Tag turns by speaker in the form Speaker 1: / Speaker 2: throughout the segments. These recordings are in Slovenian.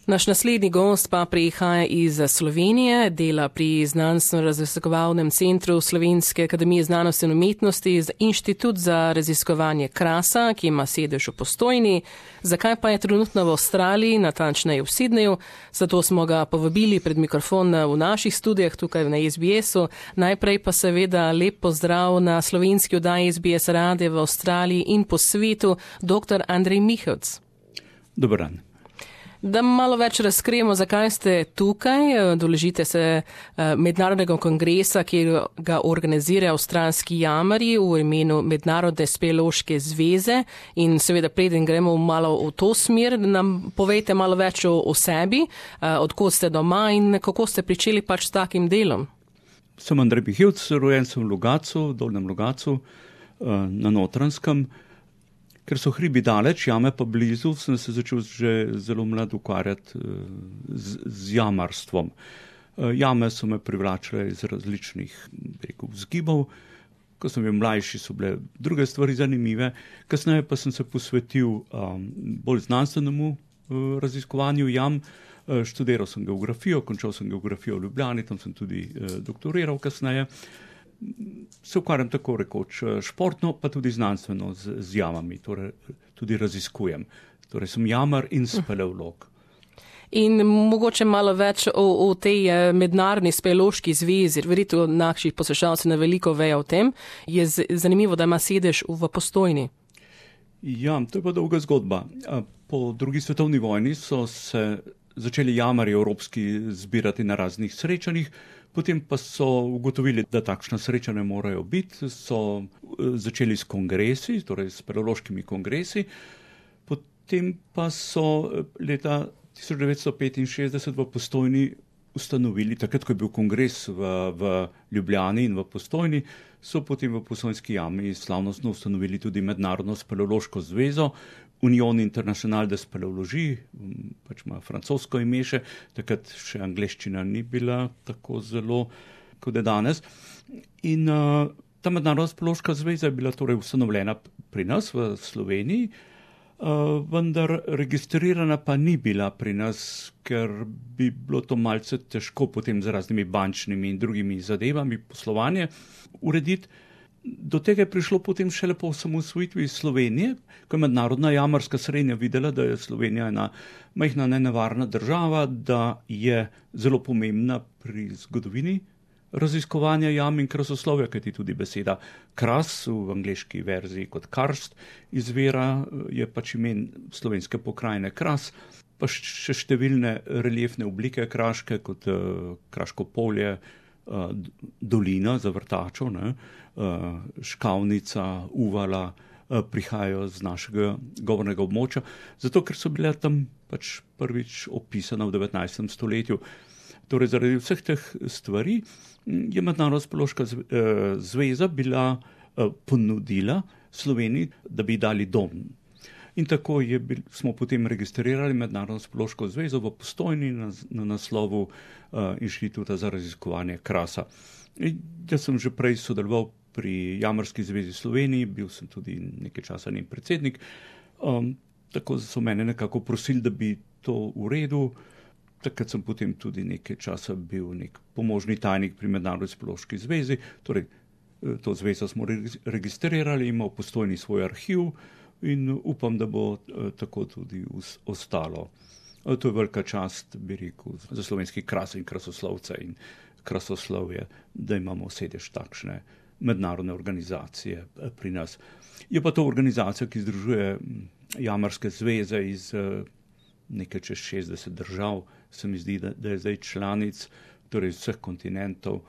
Speaker 1: Naš naslednji gost pa prihaja iz Slovenije, dela pri Znanstveno-raziskovalnem centru Slovenske akademije znanosti in umetnosti z Inštitut za raziskovanje krasa, ki ima sedež v Postojni. Zakaj pa je trenutno v Avstraliji, natančneje v Sydneyju? Zato smo ga povabili pred mikrofon v naših studijah tukaj na SBS-u. Najprej pa seveda lep pozdrav na slovenski oddaji SBS radija v Avstraliji in po svetu, dr. Andrej Mihovc.
Speaker 2: Dober dan.
Speaker 1: Da malo več razkrijemo, zakaj ste tukaj. Udeležite se mednarodnega kongresa, ki ga organizira avstralski jamarji v imenu Mednarodne speleološke zveze. In seveda preden gremo malo v to smer, nam povejte malo več o sebi, odkot ste doma in kako ste pričeli pač s takim delom.
Speaker 2: Sem Andrej Mihovc, rojen sem v Logatcu, v Dolnjem Logatcu, na Notranjskem. Ker so hribi daleč, jame pa blizu, sem se začel že zelo mlad ukvarjati z jamarstvom. Jame so me privlačile iz različnih vzgibov. Ko sem bil mlajši, so bile druge stvari zanimive. Kasneje pa sem se posvetil bolj znanstvenemu raziskovanju jam. Študiral sem geografijo, končal sem geografijo v Ljubljani, tam sem tudi doktoriral kasneje. Se ukvarjam tako rekoč športno, pa tudi znanstveno z jamami, torej tudi raziskujem. Torej sem jamar in speleolog.
Speaker 1: In mogoče malo več o tej mednarodni speleološki zvezi, verjetno naših poslušalcev na veliko vejo o tem. Je zanimivo, da ima sedež v Postojni.
Speaker 2: Ja, to je pa dolga zgodba. Po drugi svetovni vojni so se začeli jamarji evropski zbirati na raznih srečanjih. Potem pa so ugotovili, da takšna srečanja morajo biti, so začeli s kongresi, torej s speleološkimi kongresi. Potem pa so leta 1965 v Postojni ustanovili, takrat, ko je bil kongres v Ljubljani in v Postojni, so potem v Postojnski jami slavnostno ustanovili tudi Mednarodno speleološko zvezo, Union International de Speleologie, pač ima francosko ime še, takrat še angleščina ni bila tako zelo, kot je danes. In ta Mednarodna speleološka zveza je bila torej ustanovljena pri nas v Sloveniji, vendar registrirana pa ni bila pri nas, ker bi bilo to malce težko potem z raznimi bančnimi in drugimi zadevami poslovanje urediti. Do tega je prišlo potem šele po osamosvojitvi Slovenije, ko je mednarodna jamarska srednja videla, da je Slovenija ena majhna nenevarna država, da je zelo pomembna pri zgodovini raziskovanja jam in krasoslovja, kajti tudi beseda kras v angleški verziji kot karst izvira, je pač imen slovenske pokrajine Kras, pa še številne reliefne oblike kraške, kot Kraško polje, dolina za vrtačo, Škavnica, Uvala, prihajajo z našega govornega območja, zato ker so bile tam pač prvič opisana v 19. stoletju. Torej, zaradi vseh teh stvari je Mednarodna speleološka zveza bila ponudila Sloveniji, da bi dali dom. In tako smo potem registrirali Mednarodno speleološko zvezo v Postojni na naslovu Inštituta za raziskovanje krasa. Jaz sem že prej sodeloval pri Jamarski zvezi Sloveniji, bil sem tudi nekaj časa njen predsednik, tako so mene nekako prosili, da bi to uredil. Takrat sem potem tudi nekaj časa bil nek pomožni tajnik pri Mednarodni speleološki zvezi, torej to zvezo smo registrirali, ima v Postojni svoj arhiv in upam, da bo tako tudi ostalo. To je velika čast, bi rekel, za slovenski kras in krasoslovce in krasoslovje, da imamo sedež takšne mednarodne organizacije pri nas. Je pa to organizacija, ki združuje jamarske zveze iz nekaj čez 60 držav, se mi zdi, da je zdaj članic, torej vseh kontinentov.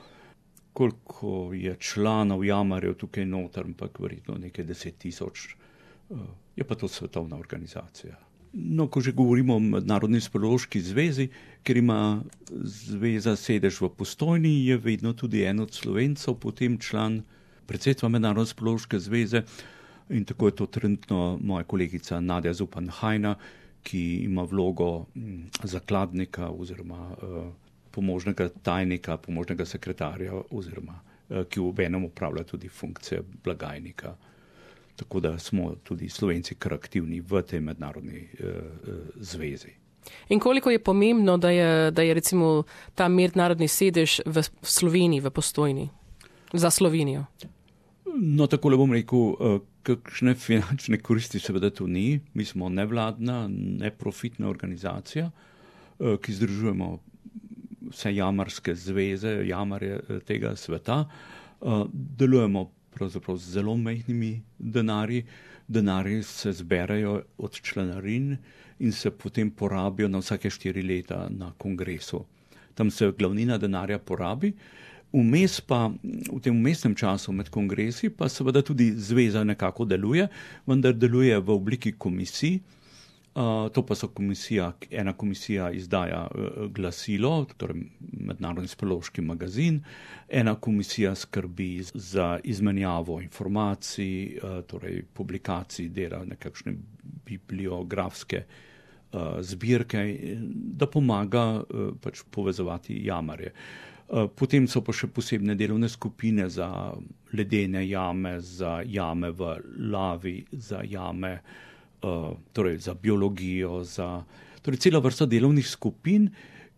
Speaker 2: Koliko je članov jamarjev tukaj noter, ampak verjetno nekaj 10,000. Je pa to svetovna organizacija. No, ko že govorimo o Mednarodni speleološki zvezi, ker ima zveza sedež v Postojni, je vedno tudi en od Slovencev, potem član predsedstva Mednarodne speleološke zveze in tako je to trenutno moja kolegica Nadja Zupan-Hajna, ki ima vlogo zakladnika oziroma pomožnega tajnika, pomožnega sekretarja oziroma ki v enem upravlja tudi funkcije blagajnika. Tako da smo tudi Slovenci kar aktivni v tej mednarodni zvezi.
Speaker 1: In koliko je pomembno, da je recimo ta mednarodni sedež v Sloveniji, v Postojni, za Slovenijo?
Speaker 2: No, takole bom rekel, kakšne finančne koristi seveda to ni. Mi smo nevladna, neprofitna organizacija, ki združujemo vse jamarske zveze, jamarje tega sveta. Delujemo pravzaprav z zelo majhnimi denarji. Denarji se zberajo od članarin in se potem porabijo na vsake 4 leta na kongresu. Tam se glavnina denarja porabi. Vmes pa, v tem vmesnem času med kongresi, pa seveda tudi zveza nekako deluje, vendar deluje v obliki komisij. To pa so ena komisija izdaja glasilo, torej Mednarodni speleološki magazin, ena komisija skrbi za izmenjavo informacij, torej publikacij, dela nekakšne bibliografske zbirke, da pomaga pač povezovati jamarje. Potem so pa še posebne delovne skupine za ledene jame, za jame v lavi, za jame, torej za biologijo, torej cela vrsta delovnih skupin,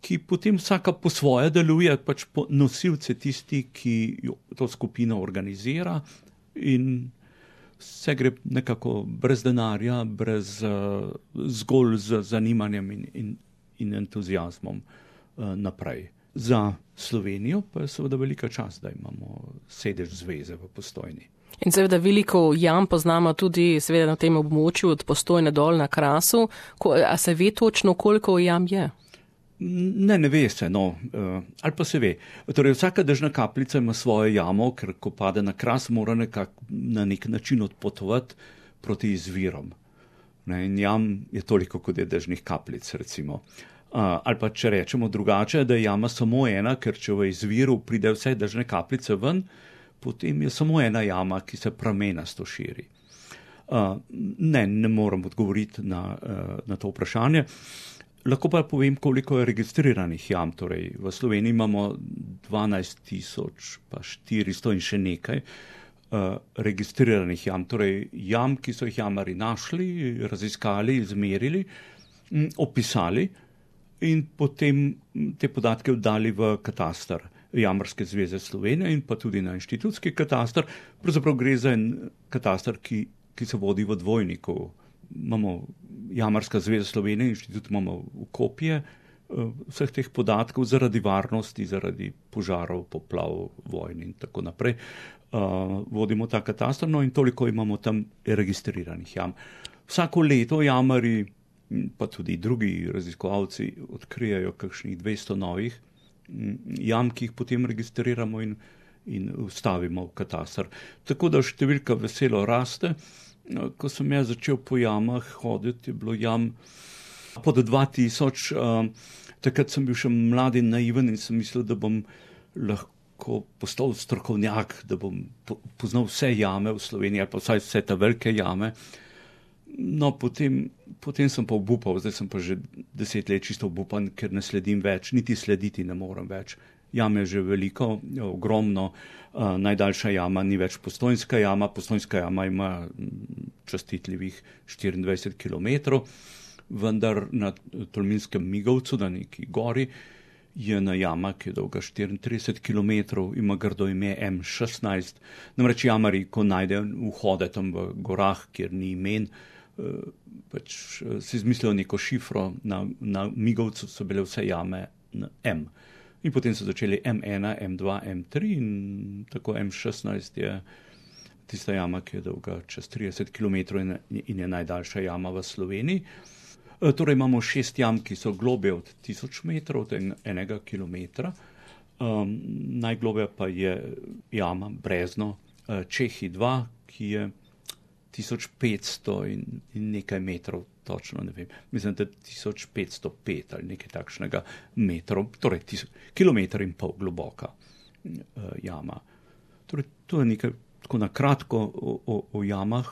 Speaker 2: ki potem vsaka po svoje deluje, pač nosilce tisti, ki to skupino organizira, in vse gre nekako brez denarja, zgolj z zanimanjem in entuziazmom naprej. Za Slovenijo pa je seveda velika čast, da imamo sedež zveze v Postojni.
Speaker 1: In seveda veliko jam poznamo tudi seveda na tem območju od Postojne dol na Krasu. A se ve točno, koliko jam je?
Speaker 2: Ne ve se, no, ali pa se ve. Torej, vsaka dežna kapljica ima svojo jamo, ker ko pade na Kras, mora na nek način odpotovati proti izvirom. In jam je toliko, kot je dežnih kapljic, recimo. Ali pa če rečemo drugače, da je jama samo ena, ker če v izviru pride vse dežne kapljice ven, potem je samo ena jama, ki se pramenasto širi. Ne moram odgovoriti na to vprašanje. Lahko pa povem, koliko je registriranih jam. Torej, v Sloveniji imamo 12,400 in še nekaj registriranih jam. Torej, jam, ki so jih jamari našli, raziskali, izmerili, opisali in potem te podatke oddali v katastar Jamarske zveze Slovenije in pa tudi na inštitutski katastar. Pravzaprav gre za en katastar, ki se vodi v dvojniku. Imamo Jamarska zveza Slovenije, inštitut imamo v kopije vseh teh podatkov zaradi varnosti, zaradi požarov, poplav, vojn in tako naprej. Vodimo ta katastar, no, in toliko imamo tam registriranih jam. Vsako leto jamari, pa tudi drugi raziskovalci odkrijajo kakšnih 200 novih jam, ki jih potem registriramo in vstavimo v katastar. Tako da številka veselo raste. Ko sem jaz začel po jamah hoditi, je bilo jam pod 2000. Takrat sem bil še mlad in naiven in sem mislil, da bom lahko postal strokovnjak, da bom poznal vse jame v Sloveniji ali pa vsaj vse te velike jame. No, potem sem pa obupal, zdaj sem pa že 10 let čisto obupan, ker ne sledim več, niti slediti ne morem več. Jam je že veliko, ogromno. Najdaljša jama ni več Postojnska jama. Postojnska jama ima častitljivih 24 km, vendar na Tolminskem Migovcu, na neki gori, je ena jama, ki je dolga 34 km, ima grdo ime M16. Namreč jamari, ko najdejo vhode tam v gorah, kjer ni imen, pač si izmislijo neko šifro. Na Migovcu so bile vse jame na M. In potem so začeli M1, M2, M3 in tako M16 je tista jama, ki je dolga čez 30 km in je najdaljša jama v Sloveniji. Torej imamo 6 jam, ki so globje od 1000 metrov, od 1 kilometra. Najglobja pa je jama Brezno Čehi 2, ki je 1500 in nekaj metrov, točno ne vem. Mislim, da 1505 ali nekaj takšnega metrov, torej kilometer in pol globoka jama. Torej, to je nekaj tako na kratko o jamah.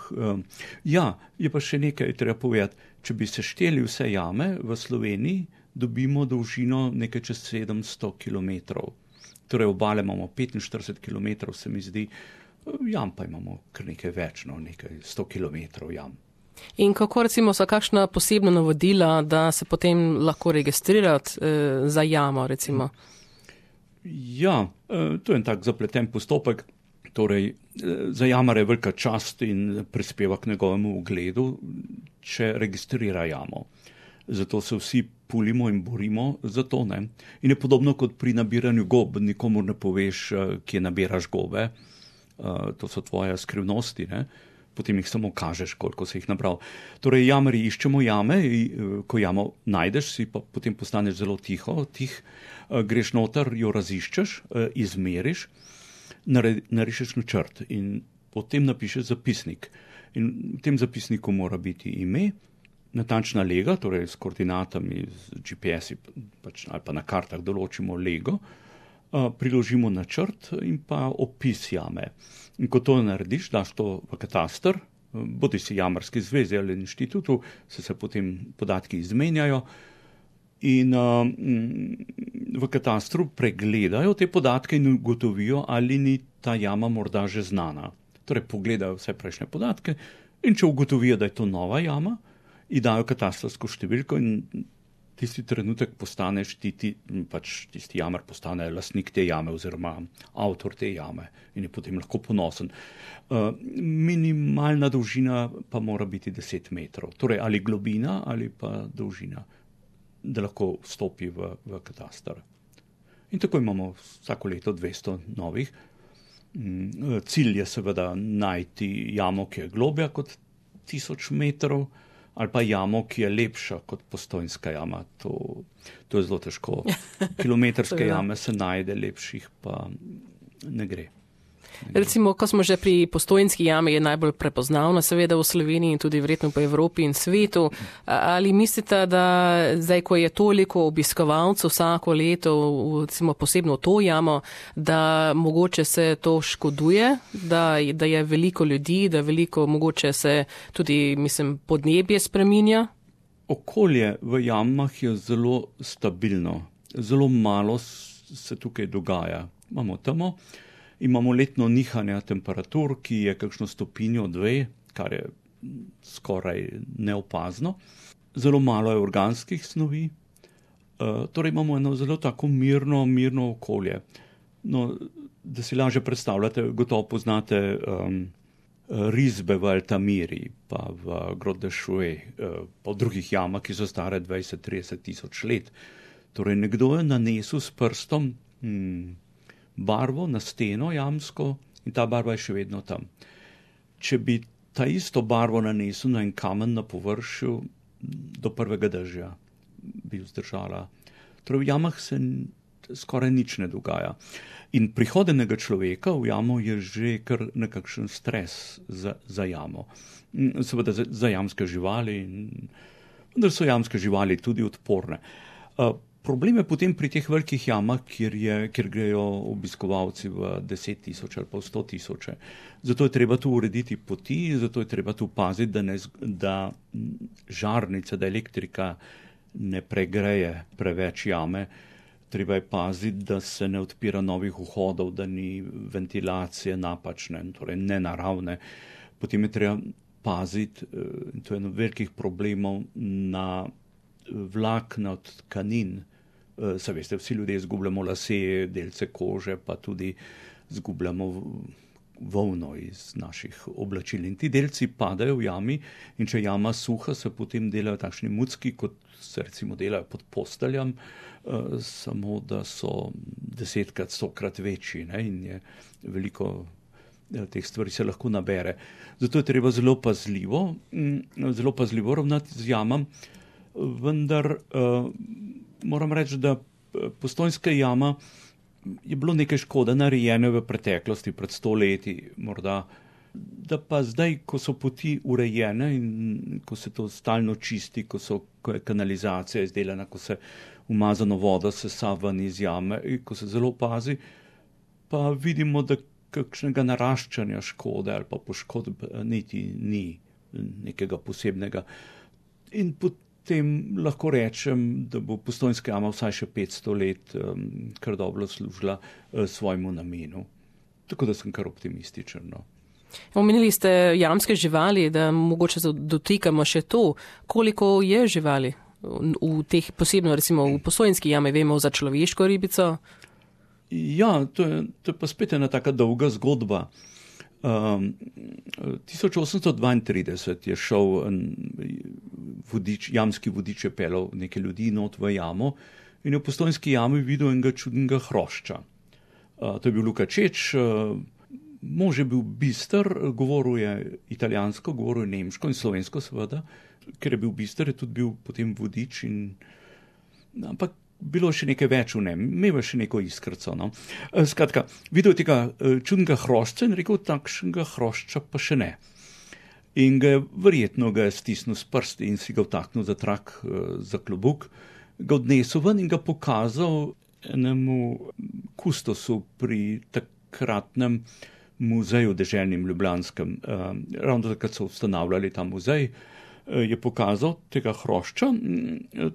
Speaker 2: Ja, je pa še nekaj treba povedati. Če bi sešteli vse jame v Sloveniji, dobimo dolžino nekaj čez 700 kilometrov. Torej, obale imamo 45 kilometrov, se mi zdi, jam pa imamo kar nekaj več, no, nekaj 100 kilometrov jam.
Speaker 1: In kako recimo so kakšna posebna navodila, da se potem lahko registrirati za jamo recimo?
Speaker 2: Ja, to je en tak zapleten postopek. Torej, za jamarja je velika čast in prispeva k njegovemu ugledu, če registrira jamo. Zato se vsi pulimo in borimo za to, ne. In je podobno kot pri nabiranju gob, nikomur ne poveš, kje nabiraš gobe, to so tvoje skrivnosti, ne. Potem jih samo kažeš, koliko si jih nabral. Torej, jamarji iščemo jame, ko jamo najdeš, si pa potem postaneš zelo tih, greš noter, jo raziščeš, izmeriš, narišeš načrt in potem napišeš zapisnik. In v tem zapisniku mora biti ime, natančna lega, torej s koordinatami, z GPS-i, ali pa na kartah določimo lego, priložimo načrt in pa opis jame. In ko to narediš, daš to v kataster, bodi si jamarski zvezi ali inštitutu, se potem podatki izmenjajo in v katastru pregledajo te podatke in ugotovijo, ali ni ta jama morda že znana. Torej pogledajo vse prejšnje podatke in če ugotovijo, da je to nova jama, ji dajo katastrsko številko in tisti trenutek postaneš tisti jamar postane lastnik te jame oziroma avtor te jame in je potem lahko ponosen. Minimalna dolžina pa mora biti 10 metrov, torej ali globina ali pa dolžina, da lahko vstopi v katastar. In tako imamo vsako leto 200 novih. Cilj je seveda najti jamo, ki je globja kot 1000 metrov, ali pa jamo, ki je lepša kot Postojnska jama. To je zelo težko. Kilometrske jame se najde, lepših pa ne gre.
Speaker 1: Recimo, ko smo že pri Postojnski jami, je najbolj prepoznavna seveda v Sloveniji in tudi verjetno po Evropi in svetu. Ali mislite, da zdaj, ko je toliko obiskovalcev vsako leto, recimo posebno to jamo, da mogoče se to škoduje, da je veliko ljudi, da veliko mogoče se tudi, podnebje spreminja?
Speaker 2: Okolje v jamah je zelo stabilno. Zelo malo se tukaj dogaja. Imamo temo. Imamo letno nihanje temperatur, ki je kakšno stopinjo 2, kar je skoraj neopazno. Zelo malo je organskih snovi. Torej imamo eno zelo tako mirno okolje. No, da si lažje predstavljate, gotovo poznate risbe v Altamiri, pa v Grotte de Chauvet, pa v drugih jamah, ki so stare 20-30 tisoč let. Torej nekdo je nanesel s prstom barvo na steno jamsko in ta barva je še vedno tam. Če bi ta isto barvo nanesel na en kamen na površju, do prvega dežja bi vzdržala. Torej v jamah se skoraj nič ne dogaja. In prihod enega človeka v jamo je že kar nekakšen stres za jamo. Seveda za jamske živali, vendar so jamske živali tudi odporne. Problem je potem pri teh velikih jamah, kjer grejo obiskovalci v 10 tisoč ali pa v 100 tisoče. Zato je treba tu urediti poti, zato je treba tu paziti, da žarnica, da elektrika ne pregreje preveč jame. Treba je paziti, da se ne odpira novih vhodov, da ni ventilacije napačne, torej nenaravne. Potem je treba paziti, to je eno velikih problemov, na vlakna od tkanin. Se veste, vsi ljudje izgubljamo lase, delce kože, pa tudi izgubljamo volno iz naših oblačil. In ti delci padajo v jami in če jama suha, se potem delajo takšni mucki, kot se recimo delajo pod posteljam, samo da so 10-krat, 100-krat večji, ne? In je veliko teh stvari se lahko nabere. Zato je treba zelo pazljivo ravnati z jamam, vendar moram reči, da Postojnska jama je bilo nekaj škode narejene v preteklosti, pred 100 leti morda, da pa zdaj, ko so poti urejene in ko se to stalno čisti, ko je kanalizacija izdelana, ko se umazano vodo sesa ven iz jame, ko se zelo pazi, pa vidimo, da kakšnega naraščanja škode ali pa poškodb niti ni nekega posebnega. In potem lahko rečem, da bo Postojnska jama vsaj še 500 let kar dobro služila svojemu namenu. Tako da sem kar optimističen. No.
Speaker 1: Omenili ste jamske živali, da mogoče dotikamo še to, koliko je živali v teh posebno, recimo v Postojnski jami, vemo za človeško ribico.
Speaker 2: Ja, to je pa spet ena taka dolga zgodba. 1832 je šel jamski vodič je pelal nekaj ljudi not v jamo in je v Postojnski jami videl enega čudnega hrošča. To je bil Luka Čeč, mož je bil bister, govoril je italijansko, govoril je nemško in slovensko seveda, ker je bil bister, je tudi bil potem vodič ampak bilo še nekaj več v njem, imel še neko iskrco. No. Skratka, videl tega čudnega hrošča in rekel, takšnega hrošča pa še ne. In verjetno ga je stisnil s prsti in si ga vtaknil za trak, za klobuk, ga odnesel ven in ga pokazal enemu kustosu pri takratnem muzeju deželnim ljubljanskem. Ravno takrat so ustanavljali ta muzej, je pokazal tega hrošča.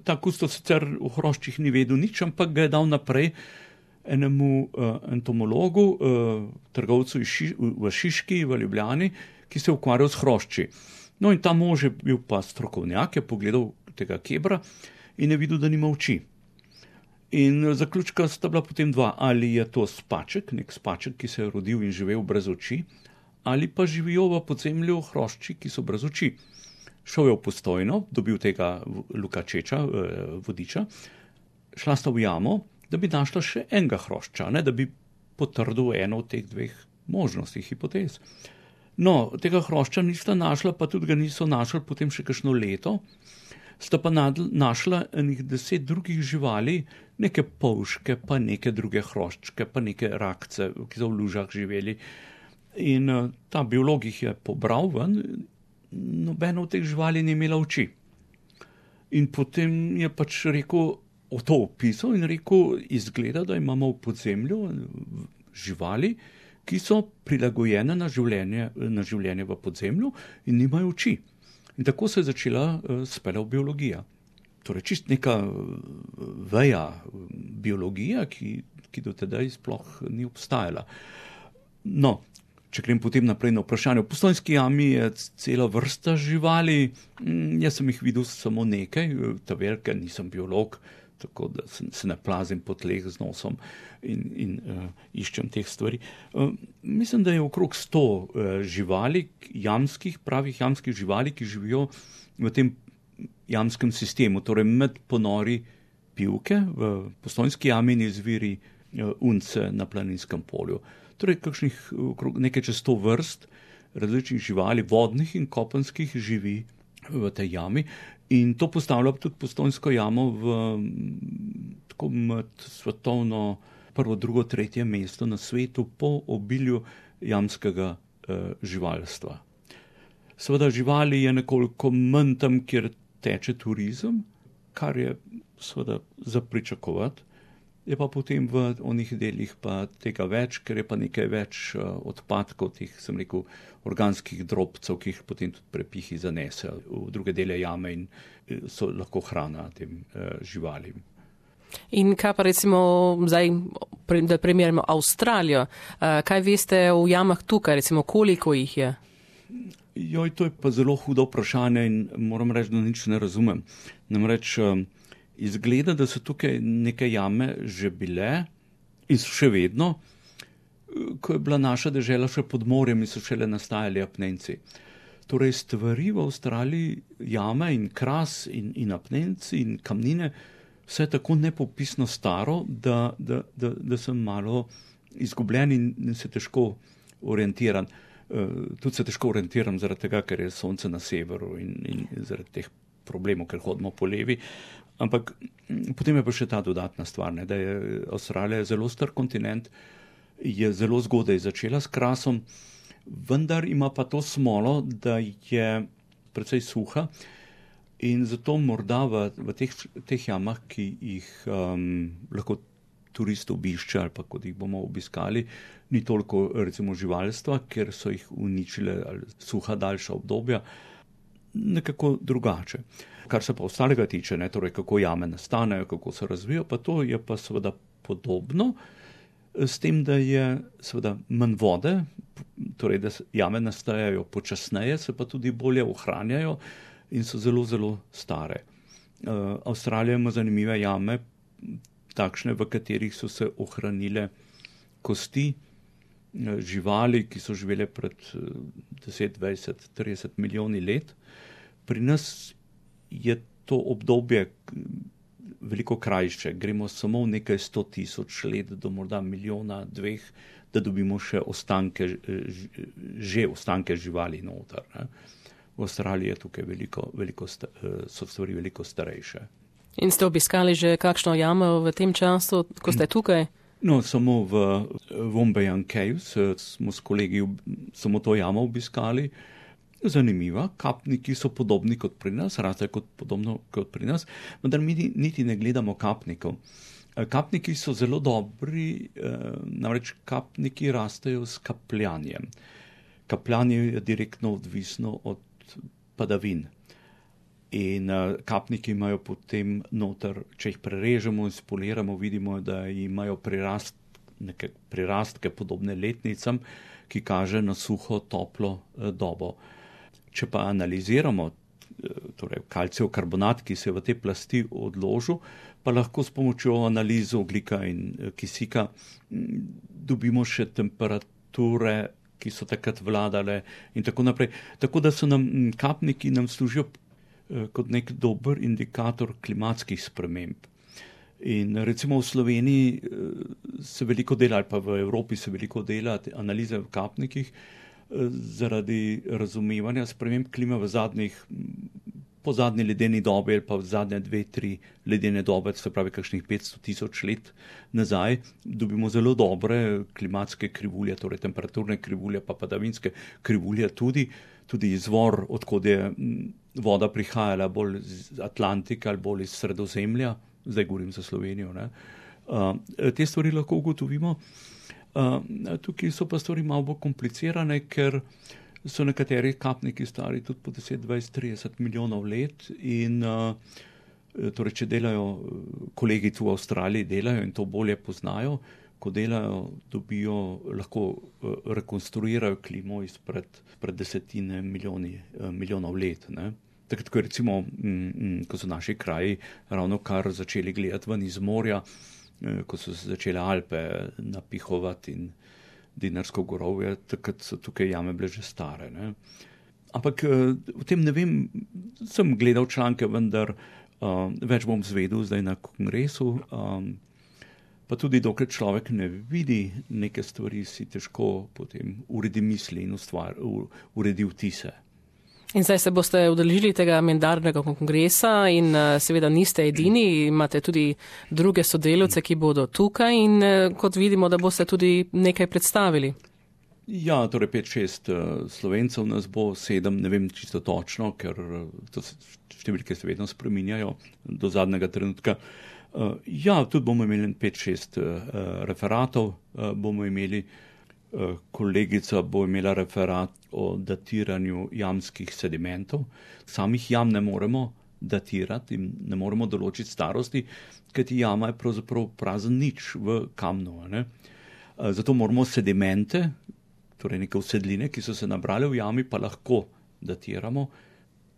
Speaker 2: Ta kustos sicer v hroščih ni vedel nič, ampak ga je dal naprej enemu entomologu, trgovcu v Šiški, v Ljubljani, ki se je ukvarjal s hrošči. No in ta mož je bil pa strokovnjak, je pogledal tega kebra in je videl, da nima oči. In zaključka sta bila potem dva, ali je to spaček, nek spaček, ki se je rodil in živel brez oči, ali pa živijo v podzemlju hrošči, ki so brez oči. Šel je v Postojno, dobil tega Luka Čeča, vodiča, šla sta v jamo, da bi našla še enega hrošča, da bi potrdil eno od teh dveh možnosti, hipotez. No, tega hrošča nista našla, pa tudi ga niso našli potem še kakšno leto, sta pa našla enih 10 drugih živali, neke polške, pa neke druge hroščke, pa neke rakce, ki so v lužah živeli. In ta biolog jih je pobral ven, nobena od teh živali ni imela oči. In potem je pač rekel, to opisal in rekel, izgleda, da imamo v podzemlju živali, ki so prilagojene na življenje v podzemlju in nimajo oči. In tako se je začela speljati biologija. Torej čist neka veja biologija, ki do tedaj sploh ni obstajala. No, če grem potem naprej na vprašanje. V Postojnski jami je cela vrsta živali, jaz sem jih videl samo nekaj, ta velika, nisem biolog, tako da se ne plazim po tleh z nosom in iščem teh stvari. Mislim, da je okrog 100 živali, pravih jamskih živali, ki živijo v tem jamskem sistemu, torej med ponori Pivke v Postojnski jami in izviri Unce na Planinskem polju. Torej, nekaj čez 100 vrst različnih živali, vodnih in kopenskih, živi v tej jami. In to postavlja tudi Postojnsko jamo tako med svetovno prvo, drugo, tretje mesto na svetu po obilju jamskega živalstva. Seveda živali je nekoliko manj tam, kjer teče turizem, kar je seveda za pričakovati. Je pa potem v onih delih pa tega več, ker je pa nekaj več odpadkov, teh, sem rekel, organskih drobcev, ki jih potem tudi prepihi zanese v druge dele jame in so lahko hrana tem živalim.
Speaker 1: In kaj pa recimo zdaj, da primerjamo Avstralijo, kaj veste o jamah tukaj, recimo koliko jih je?
Speaker 2: Joj, to je pa zelo hudo vprašanje in moram reči, da nič ne razumem. Namreč izgleda, da so tukaj neke jame že bile in so še vedno, ko je bila naša dežela še pod morjem in so šele nastajali apnenci. Torej stvari v Avstraliji, jame in kras in apnenci in kamnine, vse je tako nepopisno staro, da sem malo izgubljen in se težko orientiram. Tudi se težko orientiram zaradi tega, ker je sonce na severu in zaradi teh problemov, ker hodimo po levi. Ampak potem je pa še ta dodatna stvar, da je Avstralija zelo star kontinent, je zelo zgodaj začela s krasom, vendar ima pa to smolo, da je precej suha in zato morda v teh jamah, ki jih lahko turist obišče ali pa kot jih bomo obiskali, ni toliko recimo živalstva, ker so jih uničile suha daljša obdobja, nekako drugače. Kar se pa ostalega tiče, torej kako jame nastanejo, kako se razvijajo, pa to je pa seveda podobno. s tem, da je seveda manj vode, torej da jame nastajajo počasneje, se pa tudi bolje ohranjajo in so zelo, zelo stare. Avstralija ima zanimive jame, takšne, v katerih so se ohranile kosti živali, ki so živele pred 10, 20, 30 milijoni let. Pri nas je to obdobje veliko krajše. Gremo samo v nekaj 100,000 let do morda miliona, 2, da dobimo še ostanke živali noter. Ne. V Avstraliji je tukaj so stvari veliko starejše.
Speaker 1: In ste obiskali že kakšno jamo v tem času, ko ste tukaj?
Speaker 2: No, samo v Wombeyan Caves smo s kolegi samo to jamo obiskali. Zanimiva, kapniki so podobni kot pri nas, raste podobno kot pri nas, vendar mi niti ne gledamo kapnikov. Kapniki so zelo dobri, namreč kapniki rastejo s kapljanjem. Kapljanje je direktno odvisno od padavin. In kapniki imajo potem noter, če jih prerežemo in spoliramo, vidimo, da imajo prirastke podobne letnicam, ki kaže na suho, toplo dobo. Če pa analiziramo, torej kalcijev karbonat, ki se je v te plasti odložil, pa lahko s pomočjo analize ogljika in kisika dobimo še temperature, ki so takrat vladale in tako naprej. Tako da so kapniki nam služijo kot nek dober indikator klimatskih sprememb. In recimo v Sloveniji se veliko dela, ali pa v Evropi se veliko dela analize v kapnikih, zaradi razumevanja sprememb klime po zadnji ledeni dobi ali pa v zadnje 2-3 ledene dobe, se pravi kakšnih 500,000 let nazaj, dobimo zelo dobre klimatske krivulje, torej temperaturne krivulje, pa padavinske krivulje tudi izvor, odkud je voda prihajala, bolj iz Atlantika ali bolj iz Sredozemlja, zdaj govorim za Slovenijo, ne. Te stvari lahko ugotovimo. Tukaj so pa stvari malo bolj komplicirane, ker so nekateri kapniki stari tudi po 10, 20, 30 milijonov let in torej, če delajo, kolegi tu v Avstraliji delajo in to bolje poznajo, ko delajo, lahko rekonstruirajo klimo izpred desetine milijonov let. Ne. Takrat, ko recimo, ko so naši kraji ravno kar začeli gledati ven iz morja, ko so se začele Alpe napihovati in Dinarsko gorovje, takrat so tukaj jame bile že stare. Ne. Ampak o tem ne vem, sem gledal članke, vendar več bom zvedel zdaj na kongresu, pa tudi dokler človek ne vidi neke stvari, si težko potem uredi misli in uredi vtise.
Speaker 1: In zdaj se boste udeležili tega mednarodnega kongresa in seveda niste edini, imate tudi druge sodelavce, ki bodo tukaj in kot vidimo, da boste tudi nekaj predstavili.
Speaker 2: Ja, torej 5-6 Slovencev nas bo, 7, ne vem čisto točno, ker številke se vedno spreminjajo do zadnjega trenutka. Ja, tudi bomo imeli 5-6 referatov, bomo imeli. Kolegica bo imela referat o datiranju jamskih sedimentov. Samih jam ne moremo datirati in ne moremo določiti starosti, kajti jama je pravzaprav prazen nič v kamnu. Ne? Zato moramo sedimente, torej neke usedline, ki so se nabrale v jami, pa lahko datiramo.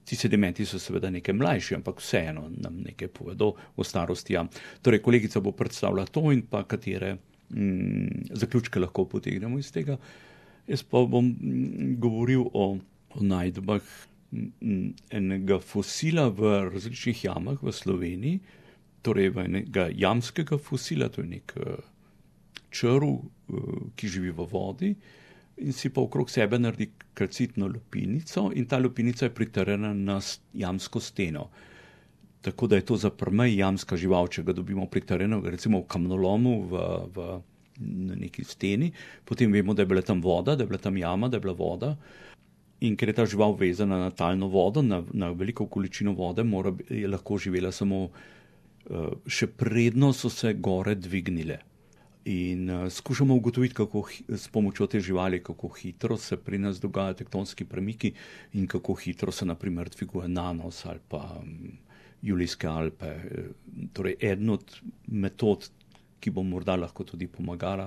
Speaker 2: Ti sedimenti so seveda nekaj mlajši, ampak vseeno nam nekaj povedo o starosti jam. Torej, kolegica bo predstavila to in pa katere zaključke lahko potegnemo iz tega. Jaz pa bom govoril o najdbah enega fosila v različnih jamah v Sloveniji, torej enega jamskega fosila, to je nek črv, ki živi v vodi in si pa okrog sebe naredi kalcitno lupinico in ta lupinica je pritrjena na jamsko steno. Tako da je to za prmej jamska žival, če ga dobimo pritrjenega, recimo v kamnolomu na neki steni, potem vemo, da je bila tam voda, da je bila tam jama, da je bila voda. In ker je ta žival vezana na talno vodo, na veliko količino vode, je lahko živela samo še predno so se gore dvignile. In skušamo ugotoviti, s pomočjo te živali, kako hitro se pri nas dogajajo tektonski premiki in kako hitro se naprimer dviguje Nanos ali pa Julijske Alpe. Torej, eden od metod, ki bo morda lahko tudi pomagala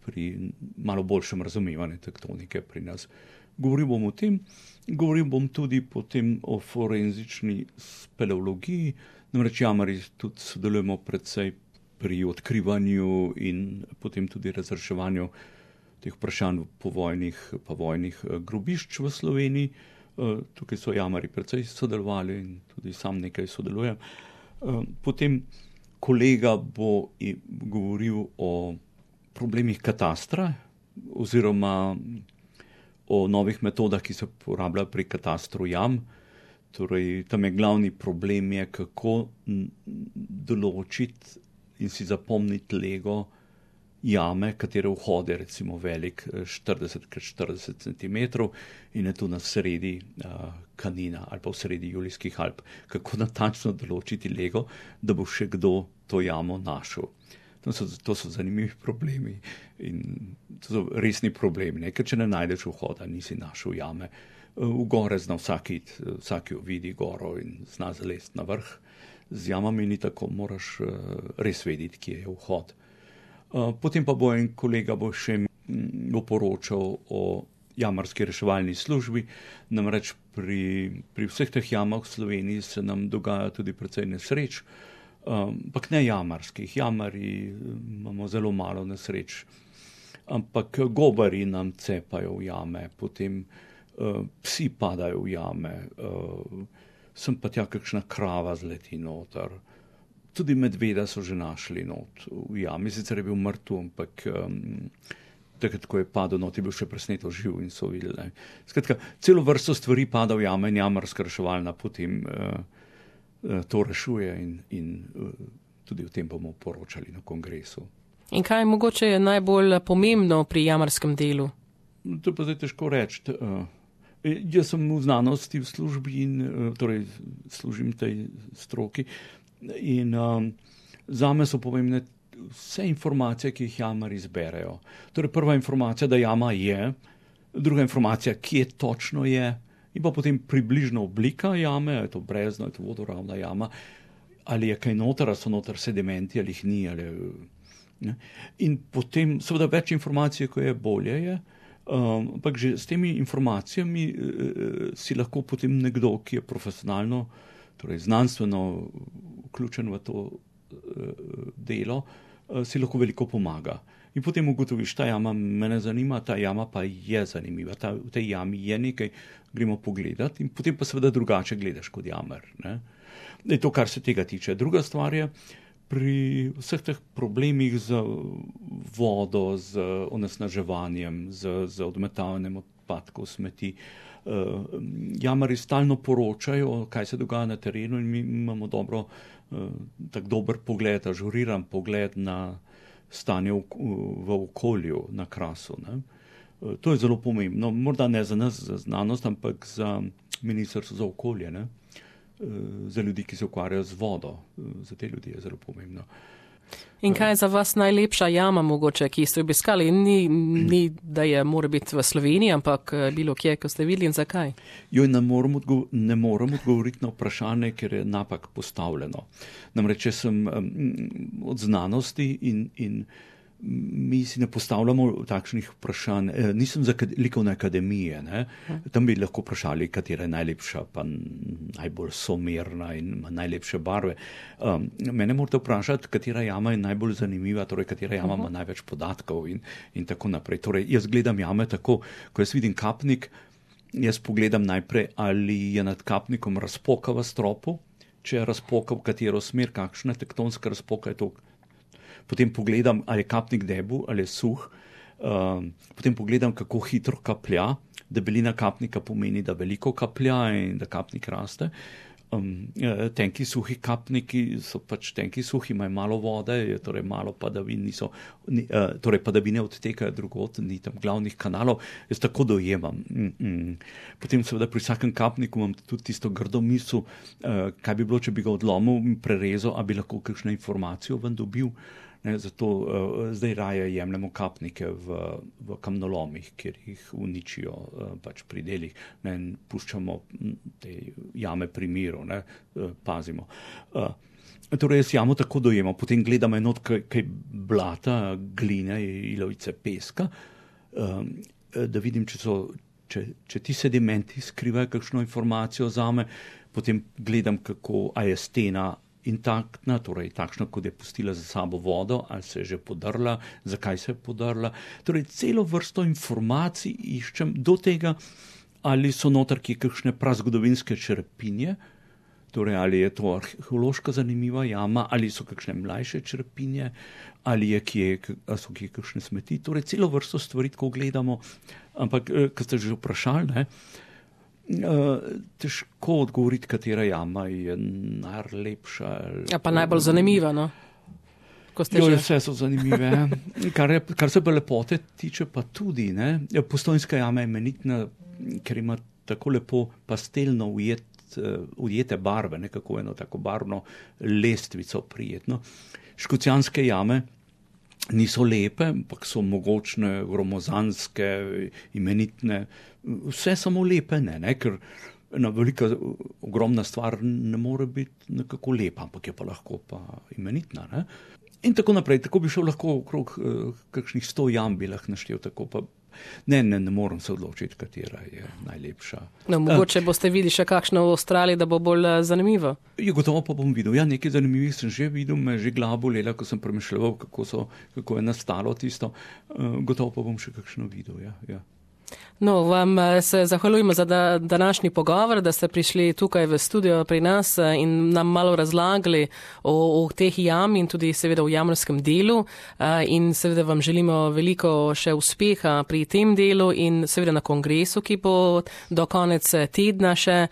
Speaker 2: pri malo boljšem razumevanju tektonike pri nas. Govoril bom o tem, govoril bom tudi potem o forenzični speleologiji, namreč jamari tudi sodelujemo predvsej pri odkrivanju in potem tudi razreševanju teh vprašanj povojnih grobišč v Sloveniji. Tukaj so jamari predvsej sodelovali in tudi sam nekaj sodelujem. Potem kolega bo govoril o problemih katastra oziroma o novih metodah, ki se uporabljajo pri katastru jam. Torej, tam je glavni problem, kako določiti in si zapomniti lego jame, katere vhod je recimo velik 40x40 cm in je tu na sredi Kanina ali pa v sredi Julijskih Alp. Kako natančno določiti lego, da bo še kdo to jamo našel. To so zanimivi problemi in to so resni problemi, ker če ne najdeš vhoda, nisi našel jame. V gore zna vsak jo vidi goro in zna zalezti na vrh. Z jamami ni tako, moraš res vedeti, kje je vhod. Potem pa bo en kolega še poročal o jamarski reševalni službi, namreč pri vseh teh jamah v Sloveniji se nam dogaja tudi precej nesreč, ampak ne jamarskih. Jamari imamo zelo malo nesreč, ampak gobari nam cepajo v jame, potem psi padajo v jame, sem pa tja kakšna krava zleti noter. Tudi medveda so že našli not v jami, sicer je bil mrtev, ampak takrat, ko je padel not, je bil še presneto živ in so videli. Skratka, celo vrsto stvari pada v jame in jamarska reševalna potem to rešuje in tudi o tem bomo poročali na kongresu.
Speaker 1: In kaj mogoče je najbolj pomembno pri jamarskem delu?
Speaker 2: To pa zdaj težko reči. Jaz sem v znanosti v službi in torej služim tej stroki in zame so pomembne vse informacije, ki jih jamari zberejo. Torej prva informacija, da jama je, druga informacija, kje točno je, in pa potem približna oblika jame, je to brezno, je to vodoravna jama, ali je kaj noter, ali so noter sedimenti, ali jih ni. In potem seveda več informacij, ko je bolje je, ampak že s temi informacijami si lahko potem nekdo, ki je profesionalno, torej znanstveno vključen v to delo, si lahko veliko pomaga. In potem ugotoviš, ta jama me ne zanima, ta jama pa je zanimiva, v tej jami je nekaj, gremo pogledati in potem pa seveda drugače gledaš kot jamar. To, kar se tega tiče. Druga stvar je, pri vseh teh problemih z vodo, z onesnaževanjem, z odmetavanjem odpadkov, smeti, jamari stalno poročajo, kaj se dogaja na terenu in mi imamo tak dober pogled, ažuriran pogled na stanje v okolju, na Krasu. To je zelo pomembno, morda ne za nas, za znanost, ampak za ministrstvo za okolje, za ljudi, ki se ukvarjajo z vodo. Za te ljudi je zelo pomembno.
Speaker 1: In kaj je za vas najlepša jama mogoče, ki ste obiskali? Ni da je mora biti v Sloveniji, ampak bilo kje, ko ste videli in zakaj?
Speaker 2: Ne moram odgovoriti na vprašanje, ker je napak postavljeno. Namreč, če sem od znanosti in mi si ne postavljamo takšnih vprašanj. Nisem za likovne akademije. Tam bi lahko vprašali, katera je najlepša, pa najbolj somerna in ima najlepše barve. Mene morate vprašati, katera jama je najbolj zanimiva, torej katera jama ima največ podatkov in tako naprej. Torej, jaz gledam jame tako, ko jaz vidim kapnik, jaz pogledam najprej, ali je nad kapnikom razpoka v stropu, če je razpoka v katero smer, kakšna tektonska razpoka je to. Potem pogledam, ali je kapnik debel ali je suh, potem pogledam, kako hitro kaplja. Debelina kapnika pomeni, da veliko kaplja in da kapnik raste. Tenki suhi kapniki so pač tenki suhi, imajo malo vode, torej malo padavin, torej padavine odtekajo drugod, ni tam glavnih kanalov. Jaz tako dojemam. Potem seveda pri vsakem kapniku imam tudi tisto grdo misel, kaj bi bilo, če bi ga odlomil in prerezal, a bi lahko kakšno informacijo ven dobil. Zato zdaj raje jemljemo kapnike v kamnolomih, kjer jih uničijo pač pri delih, in puščamo te jame pri miru, pazimo. Torej, jaz jamo tako dojemam, potem gledam enot kaj blata, gline, ilovice, peska, da vidim, če ti sedimenti skrivajo kakšno informacijo zame, potem gledam, a je stena intaktna, torej takšna, kot je pustila za sabo vodo, ali se je že podrla, zakaj se je podrla. Torej, celo vrsto informacij iščem do tega, ali so noter kakšne prazgodovinske črepinje, torej ali je to arheološko zanimiva jama, ali so kakšne mlajše črepinje, ali so kje kakšne smeti. Torej, celo vrsto stvari, ko gledamo, ampak, ko ste že vprašali, težko odgovoriti, katera jama je najlepša.
Speaker 1: Ja, pa najbolj zanimiva, no?
Speaker 2: Vse so zanimive. Kar se pa lepote tiče, pa tudi, ne? Postojnska jama je imenitna, ker ima tako lepo pastelno ujete barve, nekako eno tako barvno lestvico prijetno. Škocjanske jame niso lepe, ampak so mogočne, gromozanske, imenitne, vse samo lepe, ne, ker ena velika, ogromna stvar ne more biti nekako lepa, ampak je pa lahko pa imenitna, ne. In tako naprej, tako bi šel lahko okrog kakšnih 100 jam bi lahko naštel, tako pa ne moram se odločiti, katera je najlepša.
Speaker 1: No, mogoče boste videli še kakšno v Avstraliji, da bo bolj zanimivo.
Speaker 2: Gotovo pa bom videl. Ja, nekaj zanimivih sem že videl, me je že glava bolela, ko sem premišljal, kako je nastalo tisto. Gotovo pa bom še kakšno videl, ja.
Speaker 1: No, vam se zahvaljujemo za današnji pogovor, da ste prišli tukaj v studio pri nas in nam malo razlagali o teh jam in tudi seveda o jamrskem delu in seveda vam želimo veliko še uspeha pri tem delu in seveda na kongresu, ki bo do konec tedna še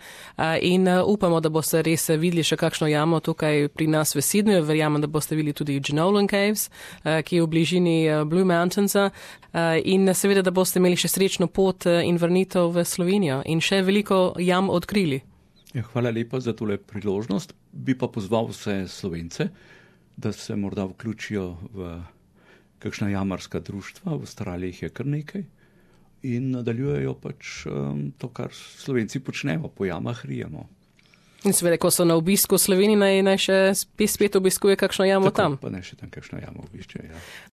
Speaker 1: in upamo, da boste res videli še kakšno jamo tukaj pri nas v Sydneyju. Verjamem, da boste videli tudi Jenolan Caves, ki je v bližini Blue Mountainsa in seveda, da boste imeli še srečno pot in vrnitev v Slovenijo in še veliko jam odkrili.
Speaker 2: Ja, hvala lepa za tole priložnost. Bi pa pozval vse Slovence, da se morda vključijo v kakšna jamarska društva, v Avstraliji je kar nekaj in nadaljujejo pač to, kar Slovenci počnemo, po jamah rijemo.
Speaker 1: In seveda, ko so na obisku v Sloveniji, naj še spet obiskuje kakšno jamo
Speaker 2: tako,
Speaker 1: tam.
Speaker 2: Pa naj še tam kakšno jamo obišče, ja.